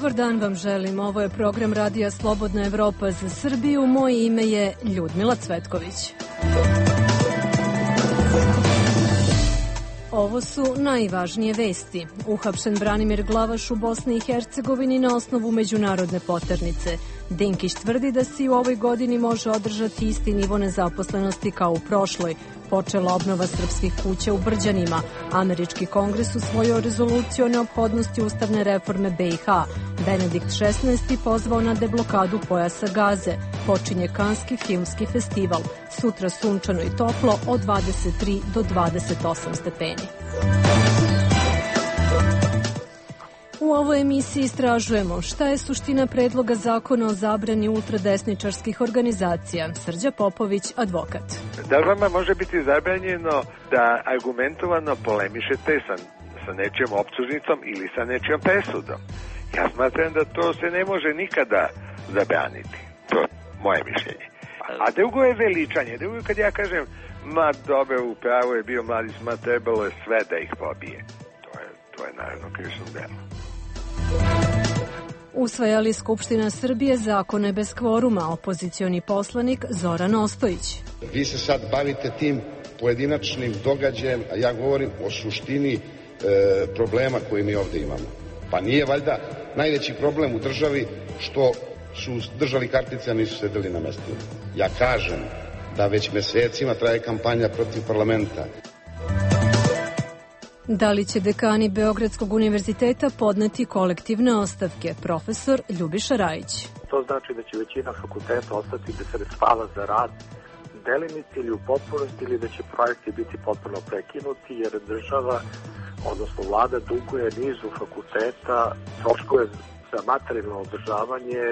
Dobar dan vam želim. Ovo je program Radija Slobodna Evropa za Srbiju. Moje ime je Ljudmila Cvetković. Ovo su najvažnije vesti. Uhapšen Branimir Glavaš u Bosni i Hercegovini na osnovu međunarodne poternice. Dinkić tvrdi da se i u ovoj godini može održati isti nivo nezaposlenosti kao u prošloj. Počela obnova srpskih kuća u Brđanima. Američki kongres usvojio rezoluciju o neophodnosti ustavne reforme BiH. Benedikt XVI pozvao na deblokadu pojasa Gaze. Počinje Kanski filmski festival. Sutra sunčano i toplo od 23 do 28 stepeni. U ovoj emisiji istražujemo šta je suština predloga zakona o zabrani ultradesničarskih organizacija. Srđa Popović, advokat. Da vama može biti zabranjeno da argumentovano polemišete sa nečijom optužnicom ili sa nečijom presudom. Ja smatram da to se ne može nikada zabraniti. To je moje mišljenje. A drugo je veličanje. Drugo je kad ja kažem, ma dobro, upravo je bio mladić, ma trebalo je sve da ih pobije. To je naravno krivično delo. Usvajali Skupština Srbije zakone bez kvoruma, opozicioni poslanik Zoran Ostojić. Vi se sad bavite tim pojedinačnim događajem, a ja govorim o suštini problema koji mi ovdje imamo. Pa nije valjda najveći problem u državi što su držali kartice, a nisu sedeli na mestima. Ja kažem da već mesecima traje kampanja protiv parlamenta. Da li će dekani Beogradskog univerziteta podneti kolektivne ostavke? Profesor Ljubiša Rajić. To znači da će većina fakulteta ostati bez sredstava za rad delimice ili u potpunosti, ili da će projekti biti potpuno prekinuti jer država, odnosno vlada, duguje nizu fakulteta troškove za materijalno održavanje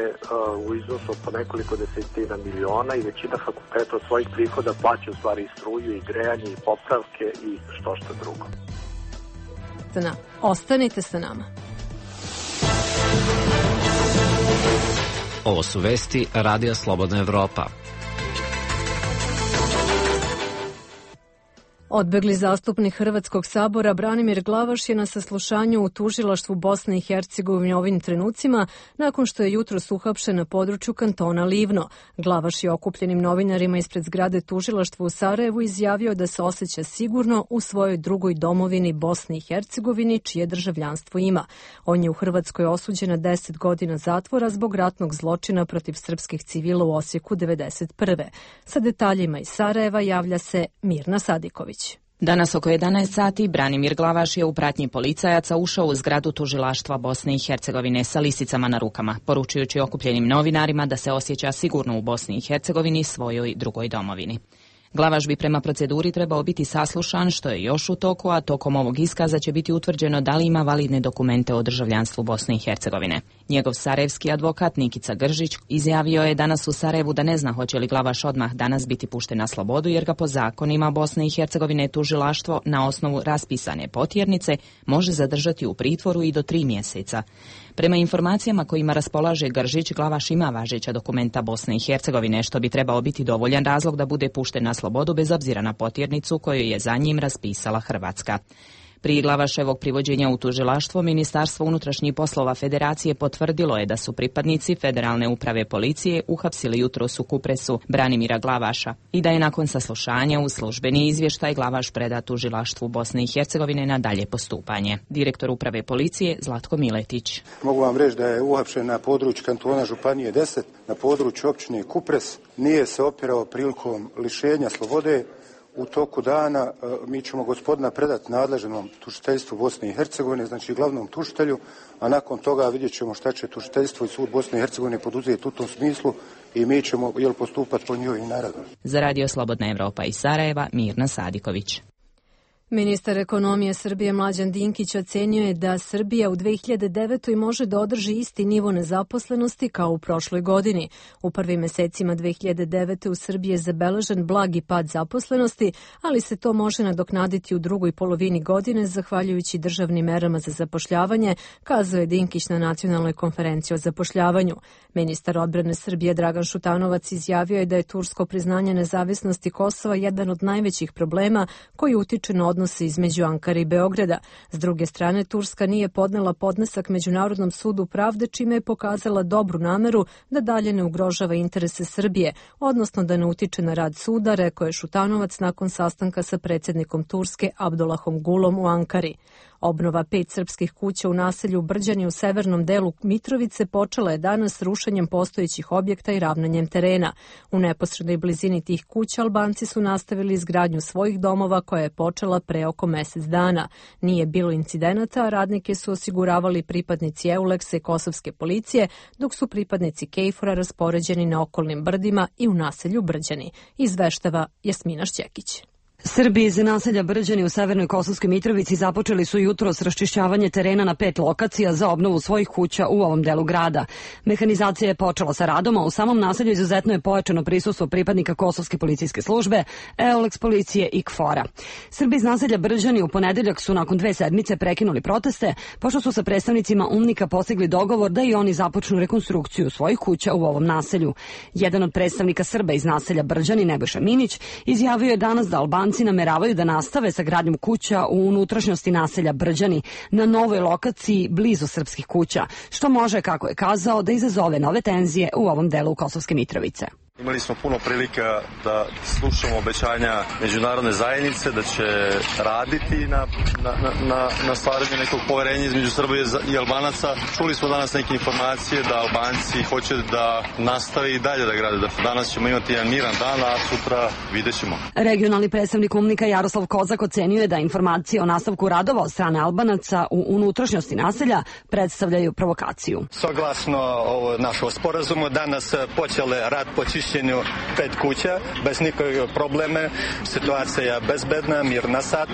u iznosu po nekoliko desetina miliona i većina fakulteta od svojih prihoda plaća u stvari i struju i grejanje i popravke i što drugo. Ostanite sa nama. Ovo su vesti Radija Slobodna Evropa. Odbegli zastupnik Hrvatskog sabora Branimir Glavaš je na saslušanju u tužilaštvu Bosne i Hercegovine ovim trenucima nakon što je jutros uhapšen na području kantona Livno. Glavaš je okupljenim novinarima ispred zgrade tužilaštva u Sarajevu izjavio da se osjeća sigurno u svojoj drugoj domovini Bosni i Hercegovini, čije državljanstvo ima. On je u Hrvatskoj osuđen na 10 godina zatvora zbog ratnog zločina protiv srpskih civila u Osijeku 1991. Sa detaljima iz Sarajeva javlja se Mirna Sadiković. Danas oko 11 sati Branimir Glavaš je u pratnji policajaca ušao u zgradu tužilaštva Bosne i Hercegovine sa lisicama na rukama, poručujući okupljenim novinarima da se osjeća sigurno u Bosni i Hercegovini, svojoj drugoj domovini. Glavaš bi prema proceduri trebao biti saslušan, što je još u toku, a tokom ovog iskaza će biti utvrđeno da li ima validne dokumente o državljanstvu Bosne i Hercegovine. Njegov sarajevski advokat Nikica Gržić izjavio je danas u Sarajevu da ne zna hoće li Glavaš odmah danas biti pušten na slobodu, jer ga po zakonima Bosne i Hercegovine tužilaštvo na osnovu raspisane potjernice može zadržati u pritvoru i do 3 mjeseca. Prema informacijama kojima raspolaže Gržić, Glavaš ima važeća dokumenta Bosne i Hercegovine, što bi trebao biti dovoljan razlog da bude pušten na slobodu bez obzira na potjernicu koju je za njim raspisala Hrvatska. Prije Glavaševog privođenja u tužilaštvo, Ministarstvo unutrašnjih poslova Federacije potvrdilo je da su pripadnici Federalne uprave policije uhapsili jutros u Kupresu Branimira Glavaša i da je nakon saslušanja u službeni izvještaj Glavaš predat tužilaštvu Bosne i Hercegovine na dalje postupanje. Direktor uprave policije Zlatko Miletić. Mogu vam reći da je uhapšen na području kantona Županije 10, na području općine Kupres. Nije se opirao prilikom lišenja slobode. U toku dana mi ćemo gospodina predati nadležnom tužiteljstvu Bosne i Hercegovine, znači glavnom tužitelju, a nakon toga vidjet ćemo šta će tužiteljstvo i sud Bosne i Hercegovine poduzeti u tom smislu i mi ćemo postupati po njihovim naredbama. Za Radio Slobodna Evropa iz Sarajeva, Mirna Sadiković. Ministar ekonomije Srbije Mlađan Dinkić ocenio je da Srbija u 2009. može da održi isti nivo nezaposlenosti kao u prošloj godini. U prvim mesecima 2009. u Srbiji je zabeležen blagi pad zaposlenosti, ali se to može nadoknaditi u drugoj polovini godine zahvaljujući državnim merama za zapošljavanje, kazao je Dinkić na nacionalnoj konferenciji o zapošljavanju. Ministar odbrane Srbije Dragan Šutanovac izjavio je da je tursko priznanje nezavisnosti Kosova jedan od najvećih problema koji utiče na odnos odnose između Ankare i Beograda. S druge strane, Turska nije podnela podnesak Međunarodnom sudu pravde, čime je pokazala dobru nameru da dalje ne ugrožava interese Srbije, odnosno da ne utiče na rad suda, rekao je Šutanovac nakon sastanka sa predsjednikom Turske Abdullahom Gulom u Ankari. Obnova 5 srpskih kuća u naselju Brđani u severnom delu Mitrovice počela je danas rušenjem postojećih objekta i ravnanjem terena. U neposrednoj blizini tih kuća Albanci su nastavili izgradnju svojih domova koja je počela pre oko mesec dana. Nije bilo incidenata, a radnike su osiguravali pripadnici EULEX-a i kosovske policije, dok su pripadnici KFOR-a raspoređeni na okolnim brdima i u naselju Brđani, izveštava Jasmina Šćekić. Srbi iz naselja Brđani u severnoj Kosovskoj Mitrovici započeli su jutros raščišćavanje terena na 5 lokacija za obnovu svojih kuća u ovom delu grada. Mehanizacija je počela sa radom, a u samom naselju izuzetno je pojačano prisustvo pripadnika Kosovske policijske službe, EULEX policije i KFOR-a. Srbi iz naselja Brđani u ponedeljak su nakon 2 sedmice prekinuli proteste, pošto su sa predstavnicima UNMIK-a postigli dogovor da i oni započnu rekonstrukciju svojih kuća u ovom naselju. Jedan od predstavnika Srba iz naselja Brđani, Nebojša Minić, izjavio je danas da Albanci nameravaju da nastave sa gradnjom kuća u unutrašnjosti naselja Brđani na novoj lokaciji blizu srpskih kuća, što može, kako je kazao, da izazove nove tenzije u ovom delu Kosovske Mitrovice. Imali smo puno prilika da slušamo obećanja međunarodne zajednice da će raditi na stvaranju nekog poverenja između Srbije i Albanaca. Čuli smo danas neke informacije da Albanci hoće da nastave i dalje da grade. Danas ćemo imati jedan miran dan, a sutra vidjet ćemo. Regionalni predstavnik UNMIK-a Jaroslav Kozak ocenio je da informacije o nastavku radova od strane Albanaca u unutrašnjosti naselja predstavljaju provokaciju. Saglasno našo sporazumu, danas počele rad po čišćenju 5 kuća, bez nikakve probleme, situacija je bezbedna, mirna sad.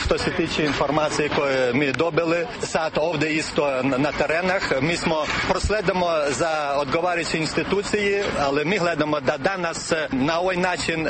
Što se tiče informacije koje mi dobili, sad ovdje isto na terenah, mi smo prosledamo za odgovarajuće institucije, ali mi gledamo da danas na ovaj način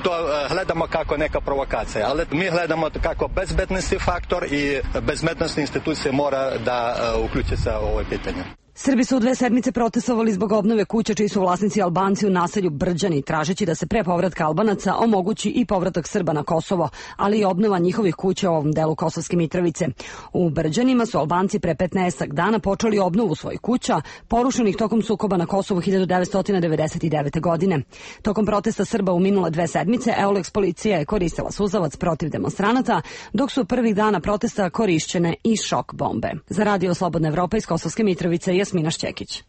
to gledamo kako neka provokacija, ali mi gledamo kako bezbednosti faktor i bezbednostne institucije mora da uključe se u ovo pitanje. Srbi su u 2 sedmice protestovali zbog obnove kuća čiji su vlasnici Albanci u naselju Brđani, tražeći da se pre povratka Albanaca omogući i povratak Srba na Kosovo, ali i obnova njihovih kuća u ovom delu Kosovske Mitrovice. U Brđanima su Albanci pre 15 dana počeli obnovu svojih kuća, porušenih tokom sukoba na Kosovu 1999. godine. Tokom protesta Srba u minule 2 sedmice, EULEX policija je koristila suzavac protiv demonstranata, dok su prvih dana protesta korišćene i šok bombe. Za Radio Slobodna Evropa iz Kosovske Mitrovice, Jasmina Šćekić.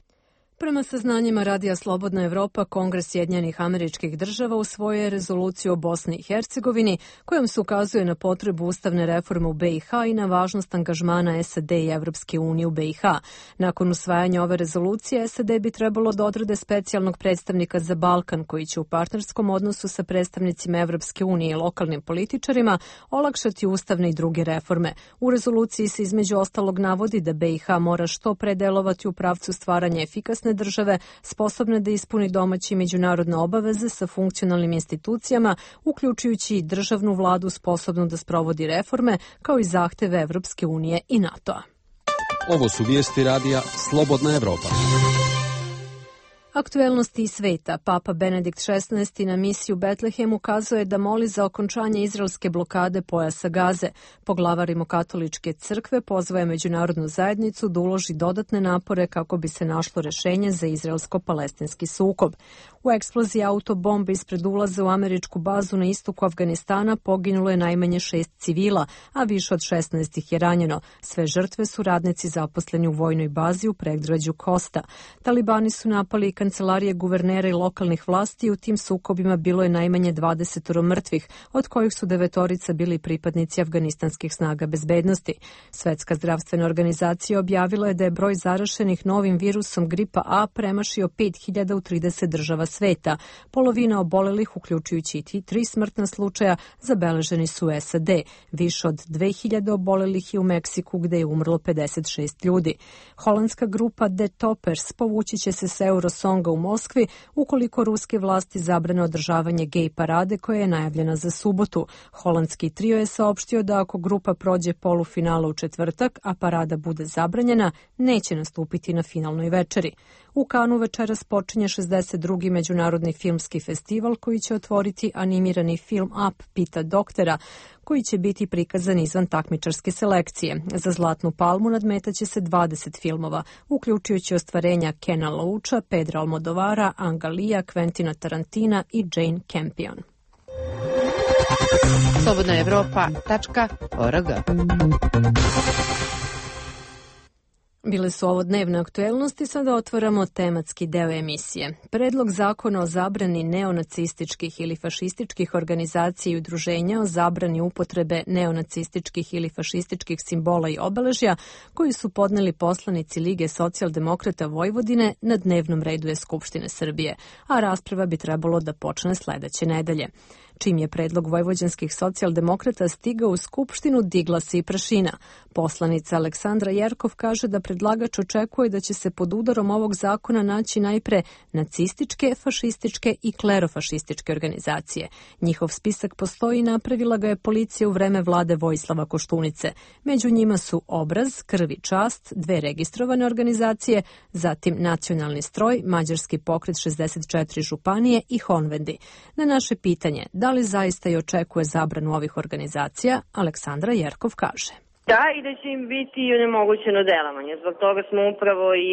Prema saznanjima Radija Slobodna Evropa, Kongres Sjedinjenih Američkih Država usvojio je rezoluciju o Bosni i Hercegovini, kojom se ukazuje na potrebu ustavne reforme u BiH i na važnost angažmana SAD i Evropske unije u BiH. Nakon usvajanja ove rezolucije, SAD bi trebalo da odrede specijalnog predstavnika za Balkan, koji će u partnerskom odnosu sa predstavnicima Evropske unije i lokalnim političarima olakšati ustavne i druge reforme. U rezoluciji se između ostalog navodi da BiH mora što pre delovati u pravcu stvaranja efikasne države, sposobne da ispuni domaće i međunarodne obaveze sa funkcionalnim institucijama, uključujući i državnu vladu sposobnu da sprovodi reforme, kao i zahteve Evropske unije i NATO-a. Ovo su vijesti Radija Slobodna Evropa. Aktuelnosti iz sveta. Papa Benedikt XVI na misiju Betlehem ukazuje da moli za okončanje izraelske blokade pojasa Gaze. Poglavar Rimokatoličke crkve pozvaje međunarodnu zajednicu da uloži dodatne napore kako bi se našlo rešenje za izraelsko-palestinski sukob. U eksploziji autobombe ispred ulaza u američku bazu na istoku Afganistana poginulo je najmanje 6 civila, a više od 16 ih je ranjeno. Sve žrtve su radnici zaposleni u vojnoj bazi u predgrađu Kosta. Talibani su napali kancelarije guvernera i lokalnih vlasti i u tim sukobima bilo je najmanje 20 mrtvih, od kojih su 9 bili pripadnici afganistanskih snaga bezbednosti. Svetska zdravstvena organizacija objavila je da je broj zaraženih novim virusom gripa A premašio 5000 u 30 država sveta. Polovina obolelih, uključujući i 3 smrtna slučaja, zabeleženi su u SAD. Više od 2000 obolelih je u Meksiku, gde je umrlo 56 ljudi. Holandska grupa The Toppers povući će se s Eurosonga u Moskvi ukoliko ruske vlasti zabrane održavanje gej parade koja je najavljena za subotu. Holandski trio je saopštio da ako grupa prođe polufinala u četvrtak, a parada bude zabranjena, neće nastupiti na finalnoj večeri. U Kanu večeras počinje 62. međunarodni filmski festival koji će otvoriti animirani film Up, Pita doktora, koji će biti prikazan izvan takmičarske selekcije. Za Zlatnu palmu nadmetaće se 20 filmova, uključujući ostvarenja Kena Loacha, Pedra Almodovara, Anga Lia, Quentina Tarantina i Jane Campion. slobodnaevropa.org. Bile su ovo dnevne aktuelnosti, sada otvaramo tematski deo emisije. Predlog zakona o zabrani neonacističkih ili fašističkih organizacija i udruženja, o zabrani upotrebe neonacističkih ili fašističkih simbola i obeležja, koji su podneli poslanici Lige socijaldemokrata Vojvodine, na dnevnom redu je Skupštine Srbije, a rasprava bi trebalo da počne sledeće nedelje. Čim je predlog vojvođanskih socijaldemokrata stigao u Skupštinu, digla se i prašina. Poslanica Aleksandra Jerkov kaže da predlagač očekuje da će se pod udarom ovog zakona naći najpre nacističke, fašističke i klerofašističke organizacije. Njihov spisak postoji i napravila ga je policija u vreme vlade Vojislava Koštunice. Među njima su Obraz, Krv i čast, 2 registrovane organizacije, zatim Nacionalni stroj, Mađarski pokret 64 županije i Honvendi. Na naše pitanje, da li zaista i očekuje zabranu ovih organizacija, Aleksandra Jerkov kaže. Da, i da će im biti onemogućeno delovanje. Zbog toga smo upravo i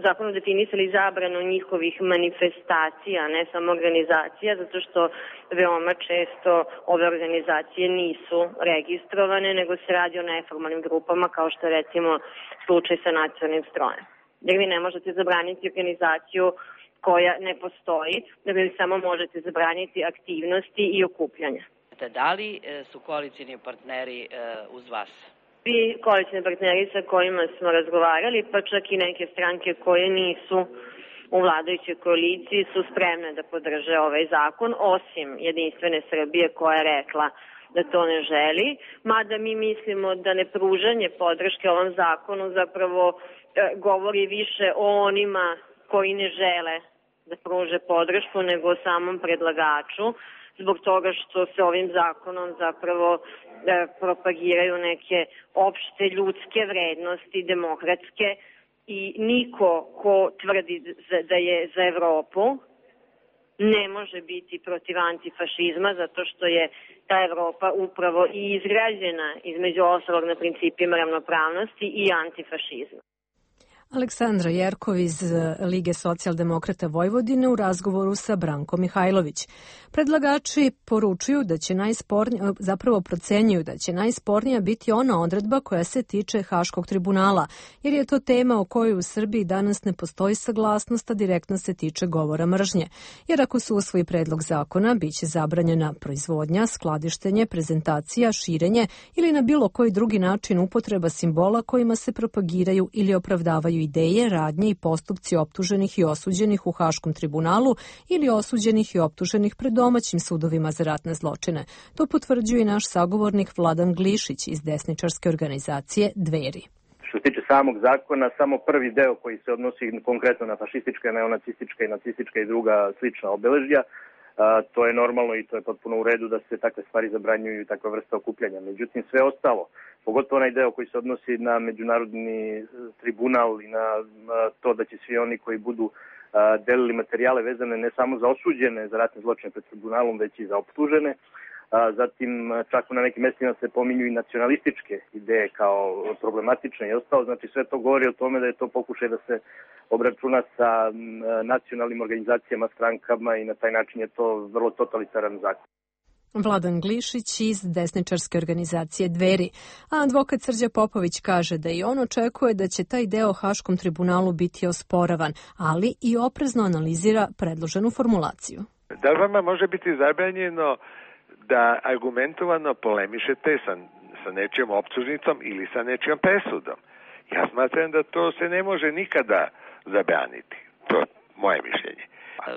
zakonom definisali zabranu njihovih manifestacija, ne samo organizacija, zato što veoma često ove organizacije nisu registrovane, nego se radi o neformalnim grupama, kao što je recimo slučaj sa Nacionalnim strojem. Jer vi ne možete zabraniti organizaciju koja ne postoji, da vi samo možete zabraniti aktivnosti i okupljanja. Da li su koalicijni partneri uz vas? Svi koalicijni partneri sa kojima smo razgovarali, pa čak i neke stranke koje nisu u vladajućoj koaliciji su spremne da podrže ovaj zakon, osim Jedinstvene Srbije koja je rekla da to ne želi, mada mi mislimo da nepružanje podrške ovom zakonu zapravo govori više o onima koji ne žele da pruže podršku nego o samom predlagaču, zbog toga što se ovim zakonom zapravo propagiraju neke opšte ljudske vrednosti, demokratske, i niko ko tvrdi da je za Evropu ne može biti protiv antifašizma, zato što je ta Evropa upravo i izgrađena između ostalog na principima ravnopravnosti i antifašizma. Aleksandra Jerkov iz Lige socijaldemokrata Vojvodine u razgovoru sa Brankom Mihajlović. Predlagači poručuju da će procenjuju da će najspornija biti ona odredba koja se tiče Haškog tribunala, jer je to tema o kojoj u Srbiji danas ne postoji saglasnost, a direktno se tiče govora mržnje. Jer ako se usvoji predlog zakona, biće zabranjena proizvodnja, skladištenje, prezentacija, širenje ili na bilo koji drugi način upotreba simbola kojima se propagiraju ili opravdavaju ideje, radnje i postupci optuženih i osuđenih u Haškom tribunalu ili osuđenih i optuženih pred domaćim sudovima za ratne zločine. To potvrđuje i naš sagovornik Vladan Glišić iz desničarske organizacije Dveri. Što se tiče samog zakona, samo prvi deo koji se odnosi konkretno na fašistička, neonacistička i nacistička i druga slična obeležja, to je normalno i to je potpuno u redu da se takve stvari zabranjuju i takva vrsta okupljanja. Međutim, sve ostalo, pogotovo onaj deo koji se odnosi na međunarodni tribunal i na to da će svi oni koji budu delili materijale vezane ne samo za osuđene za ratne zločine pred tribunalom, već i za optužene. Zatim, čak na nekim mestima se pominju i nacionalističke ideje kao problematične i ostalo. Znači, sve to govori o tome da je to pokušaj da se obračuna sa nacionalnim organizacijama, strankama i na taj način je to vrlo totalitaran zakon. Vladan Glišić iz desničarske organizacije Dveri. A advokat Srđa Popović kaže da i on očekuje da će taj deo Haškom tribunalu biti osporavan, ali i oprezno analizira predloženu formulaciju. Da li vama može biti zabranjeno da argumentovano polemišete sa nečijom optužnicom ili sa nečijom presudom? Ja smatram da to se ne može nikada zabraniti. To je moje mišljenje.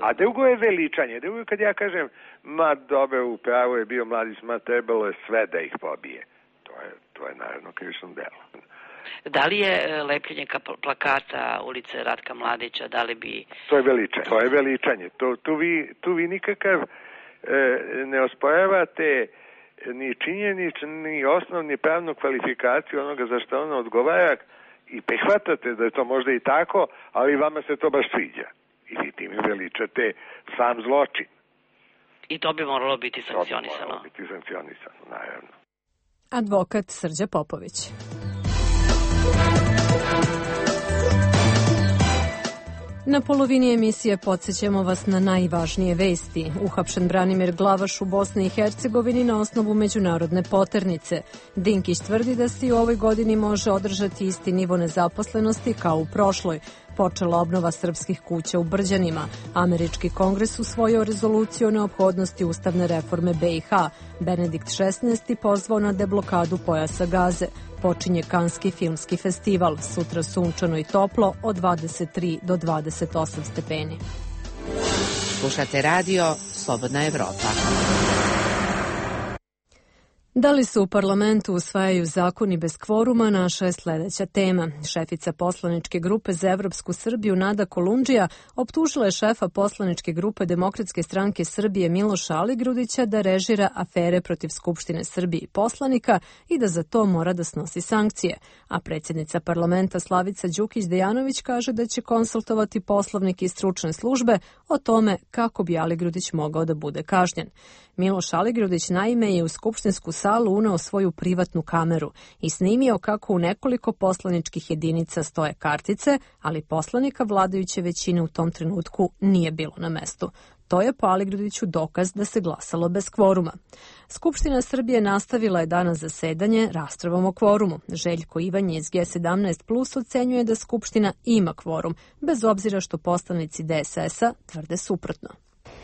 A drugo je veličanje. Drugo kad ja kažem, ma dobro, upravo je bio mladić, ma trebalo je sve da ih pobije. To je naravno krivično delo. Da li je lepljenje plakata ulice Ratka Mladića, da li bi... To je veličanje. Tu vi nikakav ne osporavate ni činjeničnu, ni osnovni pravnu kvalifikaciju onoga za što ono odgovara i prihvatate da je to možda i tako, ali vama se to baš sviđa. I vi tim veličate sam zločin. I to bi moralo biti sankcionisano. To bi moralo biti sankcionisano, naravno. Advokat Srđa Popović. Na polovini emisije podsjećamo vas na najvažnije vesti. Uhapšen Branimir Glavaš u Bosni i Hercegovini na osnovu međunarodne poternice. Dinkić tvrdi da se i u ovoj godini može održati isti nivo nezaposlenosti kao u prošloj. Počela obnova srpskih kuća u Brđanima. Američki kongres usvojio rezoluciju o neophodnosti ustavne reforme BiH. Benedikt XVI pozvao na deblokadu pojasa Gaze. Počinje Kanski filmski festival. Sutra sunčano i toplo od 23 do 28 stepeni. Slušate radio Slobodna Evropa. Da li se u parlamentu usvajaju zakoni bez kvoruma, naša je sledeća tema. Šefica poslaničke grupe za Evropsku Srbiju Nada Kolundžija optužila je šefa poslaničke grupe Demokratske stranke Srbije Miloša Aligrudića da režira afere protiv Skupštine Srbije i poslanika i da za to mora da snosi sankcije. A predsjednica parlamenta Slavica Đukić-Dejanović kaže da će konsultovati poslovnik i stručne službe o tome kako bi Aligrudić mogao da bude kažnjen. Miloš Aligrudić naime je u skupštinsku salu uneo svoju privatnu kameru i snimio kako u nekoliko poslaničkih jedinica stoje kartice, ali poslanika vladajuće većine u tom trenutku nije bilo na mestu. To je po Aligrudiću dokaz da se glasalo bez kvoruma. Skupština Srbije nastavila je danas zasedanje raspravom o kvorumu. Željko Ivanje iz G17+ ocenjuje da Skupština ima kvorum, bez obzira što poslanici DSS-a tvrde suprotno.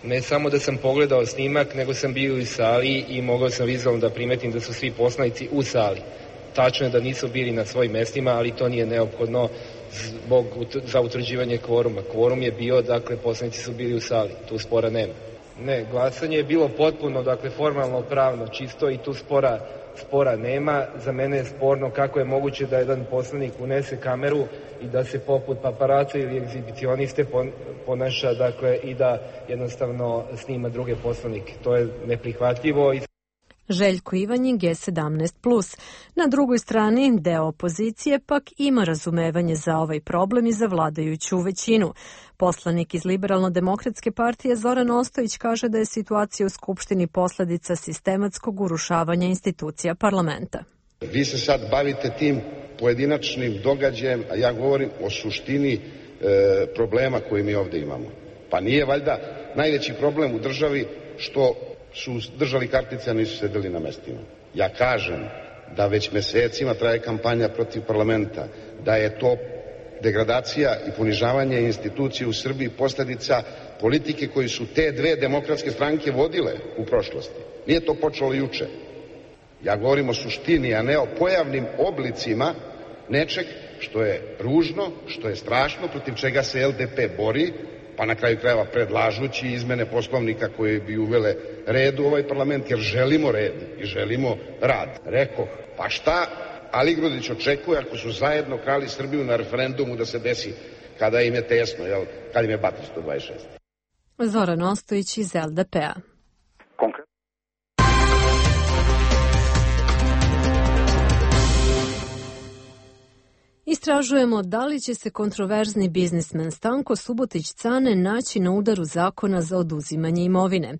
Ne samo da sam pogledao snimak, nego sam bio u sali i mogao sam vizualno da primetim da su svi poslanici u sali. Tačno je da nisu bili na svojim mestima, ali to nije neophodno za utvrđivanje kvoruma. Kvorum je bio, dakle, poslanici su bili u sali, tu spora nema. Ne, glasanje je bilo potpuno, dakle, formalno, pravno, čisto i tu spora nema. Za mene je sporno kako je moguće da jedan poslanik unese kameru i da se poput paparaca ili egzibicioniste ponaša, dakle, i da jednostavno snima druge poslanike. To je neprihvatljivo. Željko Ivanjin, G17+. Na drugoj strani, deo opozicije pak ima razumevanje za ovaj problem i za vladajuću većinu. Poslanik iz Liberalno-demokratske partije Zoran Ostojić kaže da je situacija u Skupštini posledica sistematskog urušavanja institucija parlamenta. Vi se sad bavite tim pojedinačnim događajem, a ja govorim o suštini problema koji mi ovde imamo. Pa nije valjda najveći problem u državi što su držali kartice, a nisu sedeli na mestima. Ja kažem da već mesecima traje kampanja protiv parlamenta, da je to degradacija i ponižavanje institucije u Srbiji posljedica politike koji su te dve demokratske stranke vodile u prošlosti. Nije to počelo juče. Ja govorim o suštini, a ne o pojavnim oblicima nečeg što je ružno, što je strašno, protiv čega se LDP bori, pa na kraju krajeva predlažući izmene poslovnika koje bi uvele red u ovaj parlament, jer želimo red i želimo rad. Rekoh, pa šta Aligrudić očekuje ako su zajedno krali Srbiju na referendumu da se desi kada im je tesno, kada im je Batri 126. Zoran Ostojić iz LDP-a. Istražujemo da li će se kontroverzni biznismen Stanko Subotić-Cane naći na udaru zakona za oduzimanje imovine.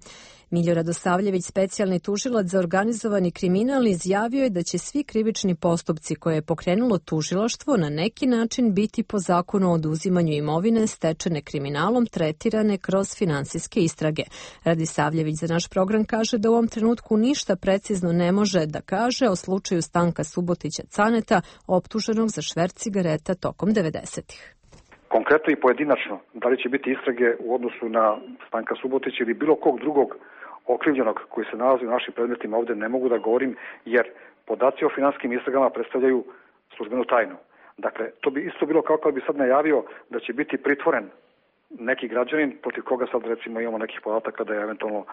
Miljo Radosavljević, specijalni tužilac za organizovani kriminal, izjavio je da će svi krivični postupci koje je pokrenulo tužilaštvo na neki način biti po zakonu o oduzimanju imovine stečene kriminalom tretirane kroz finansijske istrage. Radosavljević za naš program kaže da u ovom trenutku ništa precizno ne može da kaže o slučaju Stanka Subotića-Caneta, optuženog za šverc cigareta tokom 90-ih. Konkretno i pojedinačno, da li će biti istrage u odnosu na Stanka Subotića ili bilo kog drugog okrivljenog koji se nalazi u našim predmetima, ovde ne mogu da govorim, jer podaci o finansijskim istragama predstavljaju službenu tajnu. Dakle, to bi isto bilo kao kad bi sad najavio da će biti pritvoren neki građanin protiv koga sad recimo imamo nekih podataka da je eventualno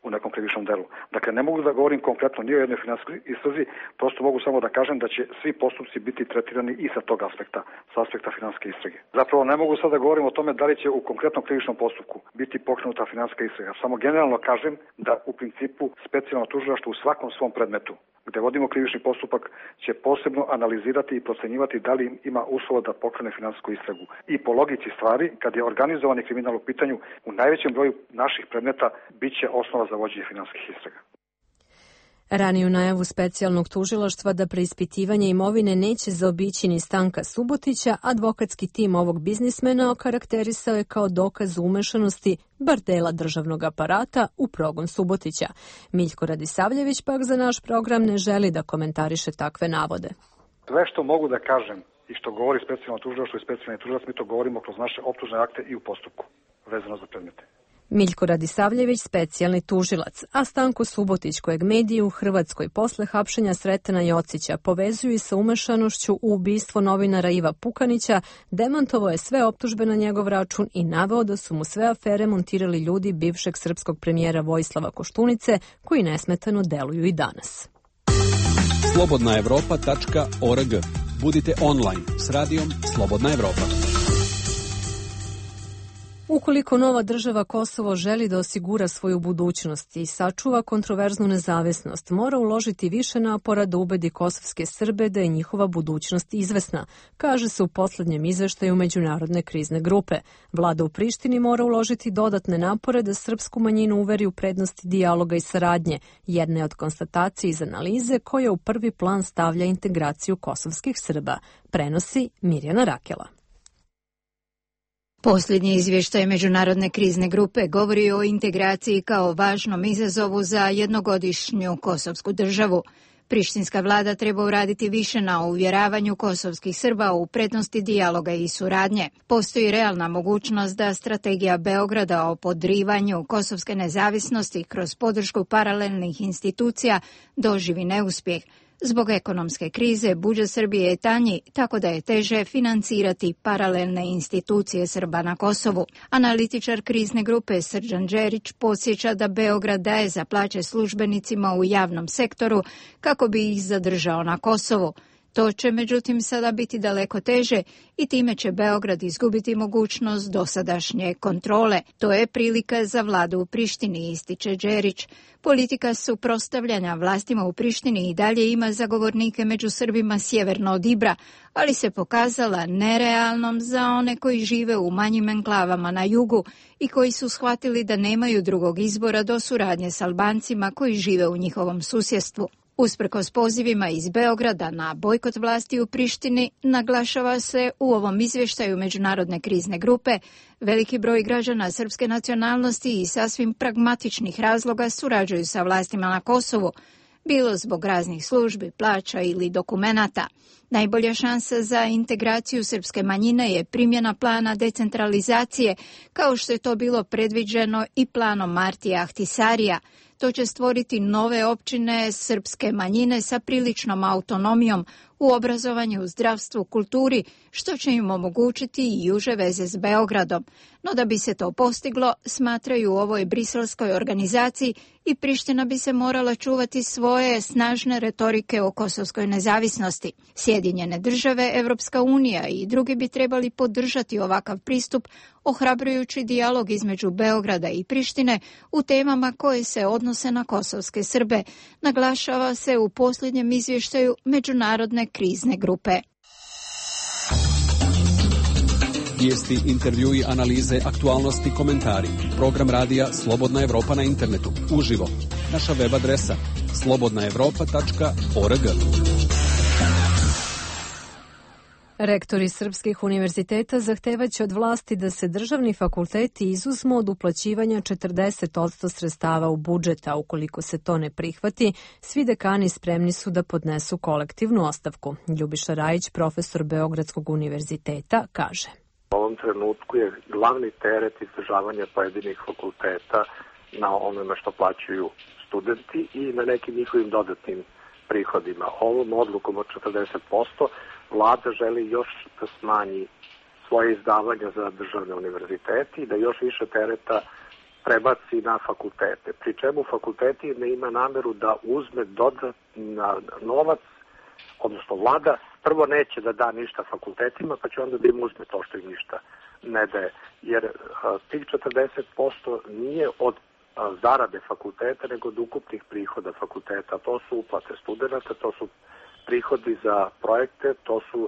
u nekom krivičnom delu. Dakle, ne mogu da govorim konkretno ni o jednoj finansijskoj istrazi, prosto mogu samo da kažem da će svi postupci biti tretirani i sa tog aspekta, sa aspekta finansijske istrage. Zapravo ne mogu sad da govorim o tome da li će u konkretnom krivičnom postupku biti pokrenuta finansijska istraga. Samo generalno kažem da u principu specijalno tužilaštvo u svakom svom predmetu gde vodimo krivični postupak, će posebno analizirati i procenjivati da li ima uslova da pokrene finansijsku istragu. I po logici stvari, kad je organizovani kriminal u pitanju, u najvećem broju naših predmeta biće osnova za vođenje finansijskih istraga. Raniju najavu specijalnog tužilaštva da preispitivanje imovine neće zaobići ni Stanka Subotića, advokatski tim ovog biznismena okarakterisao je kao dokaz umešanosti bar dela državnog aparata u progon Subotića. Miljko Radisavljević pak za naš program ne želi da komentariše takve navode. Sve što mogu da kažem i što govori specijalno tužilaštvo i specijalni tužilac, mi to govorimo kroz naše optužne akte i u postupku vezano za predmete. Miljko Radisavljević, specijalni tužilac, a Stanko Subotić, kojeg mediji u Hrvatskoj posle hapšenja Sretena Jocića povezuju sa umešanošću u ubistvo novinara Iva Pukanića, demantovao je sve optužbe na njegov račun i naveo da su mu sve afere montirali ljudi bivšeg srpskog premijera Vojislava Koštunice, koji nesmetano deluju i danas. Slobodnaevropa.org. Budite online s radijom Slobodna Evropa. Ukoliko nova država Kosovo želi da osigura svoju budućnost i sačuva kontroverznu nezavisnost, mora uložiti više napora da ubedi kosovske Srbe da je njihova budućnost izvesna, kaže se u poslednjem izveštaju Međunarodne krizne grupe. Vlada u Prištini mora uložiti dodatne napore da srpsku manjinu uveri u prednosti dijaloga i saradnje, jedna je od konstatacija iz analize koja u prvi plan stavlja integraciju kosovskih Srba, prenosi Mirjana Rakela. Posljednji izvještaj Međunarodne krizne grupe govori o integraciji kao važnom izazovu za jednogodišnju kosovsku državu. Prištinska vlada treba uraditi više na uvjeravanju kosovskih Srba u prednosti dijaloga i suradnje. Postoji realna mogućnost da strategija Beograda o podrivanju kosovske nezavisnosti kroz podršku paralelnih institucija doživi neuspjeh. Zbog ekonomske krize budžet Srbije je tanji, tako da je teže financirati paralelne institucije Srba na Kosovu. Analitičar krizne grupe Srđan Đerić podsjeća da Beograd daje za plaće službenicima u javnom sektoru kako bi ih zadržao na Kosovu. To će međutim sada biti daleko teže i time će Beograd izgubiti mogućnost dosadašnje kontrole. To je prilika za vladu u Prištini, ističe Đerić. Politika suprotstavljanja vlastima u Prištini i dalje ima zagovornike među Srbima sjeverno od Ibra, ali se pokazala nerealnom za one koji žive u manjim enklavama na jugu i koji su shvatili da nemaju drugog izbora do suradnje s Albancima koji žive u njihovom susjedstvu. Usprkos pozivima iz Beograda na bojkot vlasti u Prištini, naglašava se u ovom izvještaju Međunarodne krizne grupe, veliki broj građana srpske nacionalnosti i sasvim pragmatičnih razloga surađuju sa vlastima na Kosovu, bilo zbog raznih službi, plaća ili dokumenata. Najbolja šansa za integraciju srpske manjine je primjena plana decentralizacije, kao što je to bilo predviđeno i planom Martija Ahtisarija. To će stvoriti nove općine srpske manjine sa priličnom autonomijom u obrazovanju, zdravstvu, kulturi, što će im omogućiti i uže veze s Beogradom. No da bi se to postiglo, smatraju u ovoj briselskoj organizaciji i Priština bi se morala čuvati svoje snažne retorike o kosovskoj nezavisnosti. Sjedinjene države, Evropska unija i drugi bi trebali podržati ovakav pristup, ohrabrujući dijalog između Beograda i Prištine u temama koje se odnose na kosovske Srbe, naglašava se u posljednjem izvještaju Međunarodne krizne grupe. Vijesti, intervjui, analize, aktualnosti, komentari. Program radija Slobodna Evropa na internetu. Uživo. Naša web adresa slobodnaevropa.org. Rektori srpskih univerziteta zahtevaće od vlasti da se državni fakulteti izuzmu od uplaćivanja 40% sredstava u budžet, a ukoliko se to ne prihvati, svi dekani spremni su da podnesu kolektivnu ostavku. Ljubiša Rajić, profesor Beogradskog univerziteta, kaže. U ovom trenutku je glavni teret izdržavanja pojedinih fakulteta na onome što plaćaju studenti i na nekim njihovim dodatnim prihodima. Ovom odlukom od 40% vlada želi još da smanji svoje izdavanja za državne univerzitete i da još više tereta prebaci na fakultete. Pri čemu fakulteti ne ima nameru da uzme dodatna novac, odnosno vlada prvo neće da da ništa fakultetima, pa će onda da im uzme to što im ništa ne daje. Jer tih 40% nije od zarade fakulteta nego od ukupnih prihoda fakulteta. To su uplate studenta, to su prihodi za projekte, to su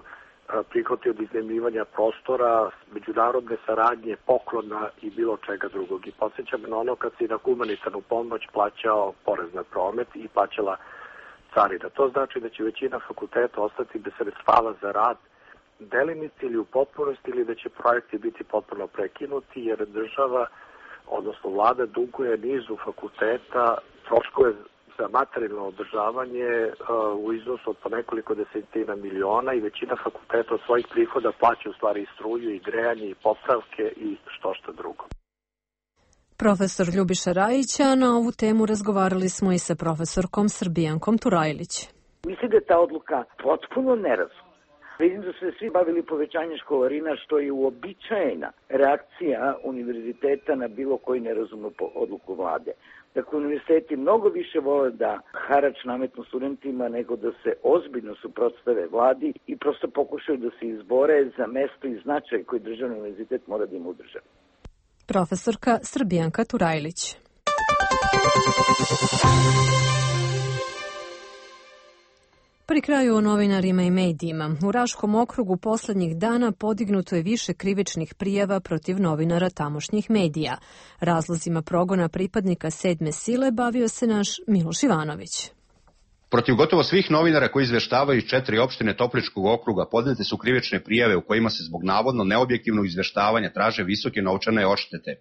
prihodi od iznajmljivanja prostora, međunarodne saradnje, poklona i bilo čega drugog. I podsjećam na ono kad si na humanitarnu pomoć plaćao porez na promet i plaćala carina. To znači da će većina fakulteta ostati bez sredstava za rad delimice ili u potpunosti ili da će projekti biti potpuno prekinuti jer država, odnosno vlada, duguje nizu fakulteta troškove za materijalno održavanje u iznosu od po nekoliko desetina miliona i većina fakulteta od svojih prihoda plaća u stvari i struju i grejanje i popravke i što drugo. Profesor Ljubiša Rajića, na ovu temu razgovarali smo i sa profesorkom Srbijankom Turajlić. Mislim da je ta odluka potpuno nerazumna. Vidim da su se svi bavili povećanjem školarina, što je uobičajena reakcija univerziteta na bilo koju nerazumnu odluku vlade. Dakle, univerziteti mnogo više vole da harač nametnu studentima nego da se ozbiljno suprotstave vladi i prosto pokušaju da se izbore za mesto i značaj koji državni univerzitet mora da ima u državi. Profesorka Srbijanka Turajlić. Pri kraju o novinarima i medijima. U Raškom okrugu poslednjih dana podignuto je više krivičnih prijava protiv novinara tamošnjih medija. Razlozima progona pripadnika 7. sile bavio se naš Miloš Ivanović. Protiv gotovo svih novinara koji izveštavaju iz 4 opštine Topličkog okruga podnete su krivične prijave u kojima se zbog navodno neobjektivnog izveštavanja traže visoke novčane odštete.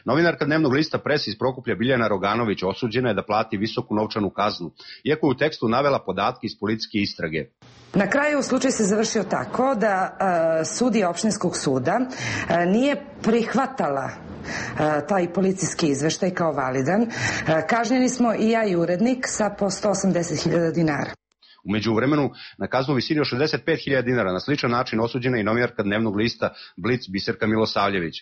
Novinarka dnevnog lista Pres iz Prokuplja Biljana Roganović osuđena je da plati visoku novčanu kaznu, iako je u tekstu navela podatke iz policijske istrage. Na kraju slučaj se završio tako da sudija opštinskog suda nije prihvatala taj policijski izveštaj kao validan. Kažnjeni smo i ja i urednik sa po 180.000 dinara. U međuvremenu, na kaznu visini od 65.000 dinara na sličan način osuđena i novinarka dnevnog lista Blic Biserka Milosavljević.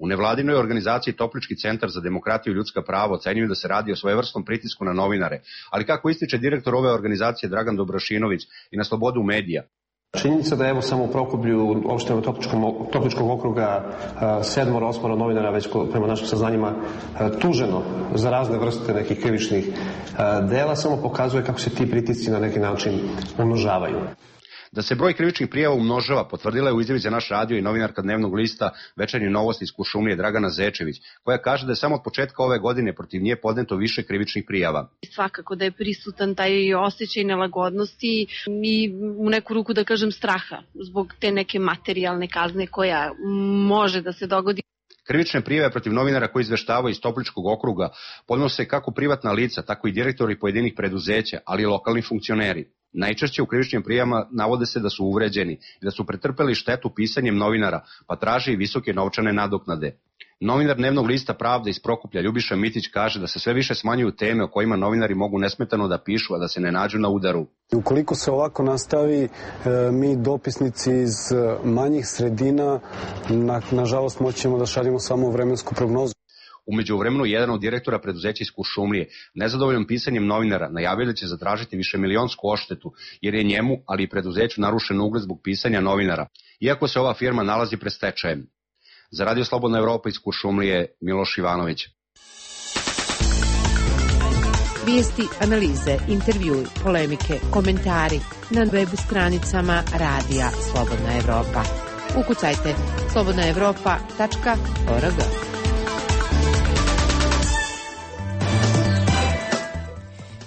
U nevladinoj organizaciji Toplički centar za demokratiju i ljudska prava ocenjuju da se radi o svojevrsnom pritisku na novinare, ali kako ističe direktor ove organizacije Dragan Dobrašinović i na slobodu medija. Činjenica da evo samo u Prokuplju opštinama Topličkog okruga 7-8 novinara već prema našim saznanjima tuženo za razne vrste nekih krivičnih dela samo pokazuje kako se ti pritisci na neki način umnožavaju. Da se broj krivičnih prijava umnožava potvrdila je u izjavi za naš radio i novinarka dnevnog lista Večernje novosti iz Kuršumlije Dragana Zečević, koja kaže da je samo od početka ove godine protiv nje podneto više krivičnih prijava. Svakako da je prisutan taj osjećaj nelagodnosti i u neku ruku da kažem straha zbog te neke materijalne kazne koja može da se dogodi. Krivične prijave protiv novinara koji izveštavaju iz Topličkog okruga podnose kako privatna lica, tako i direktori pojedinih preduzeća, ali i lokalni funkcioneri. Najčešće u krivičnim prijavama navode se da su uvređeni i da su pretrpeli štetu pisanjem novinara, pa traže i visoke novčane nadoknade. Novinar dnevnog lista Pravda iz Prokuplja Ljubiša Mitić kaže da se sve više smanjuju teme o kojima novinari mogu nesmetano da pišu, a da se ne nađu na udaru. Ukoliko se ovako nastavi, mi dopisnici iz manjih sredina, nažalost moći ćemo da šaljemo samo vremensku prognozu. U međuvremenu, jedan od direktora preduzeća iz Kuršumlije, nezadovoljan pisanjem novinara, najavio da će zatražiti višemilionsku odštetu, jer je njemu, ali i preduzeću narušen ugled zbog pisanja novinara, iako se ova firma nalazi pred stečajem. Za Radio Slobodna Evropa iz Kuršumlije, Miloš Ivanović. Vijesti, analize, intervjui, polemike, komentari na web stranicama Radija Slobodna Evropa. Ukucajte slobodnaevropa.org.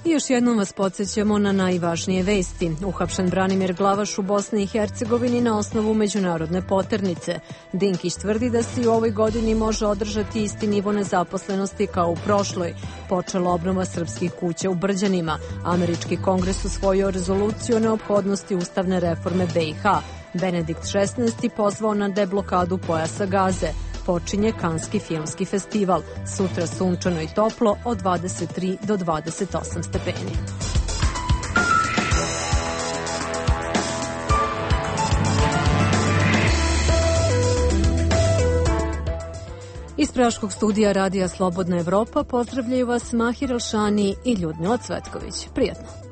I još jednom vas podsjećamo na najvažnije vesti. Uhapšen Branimir Glavaš u Bosni i Hercegovini na osnovu međunarodne poternice. Dinkić tvrdi da se i u ovoj godini može održati isti nivo nezaposlenosti kao u prošloj. Počela obnova srpskih kuća u Brđanima. Američki kongres usvojio rezoluciju o neophodnosti ustavne reforme BiH. Benedikt XVI pozvao na deblokadu pojasa Gaze. Počinje Kanski filmski festival. Sutra sunčano i toplo od 23 do 28 stepeni. Iz Praškog studija Radija Slobodna Evropa pozdravljaju vas Mahir Elšani i Ljudmila Cvetković. Prijatno!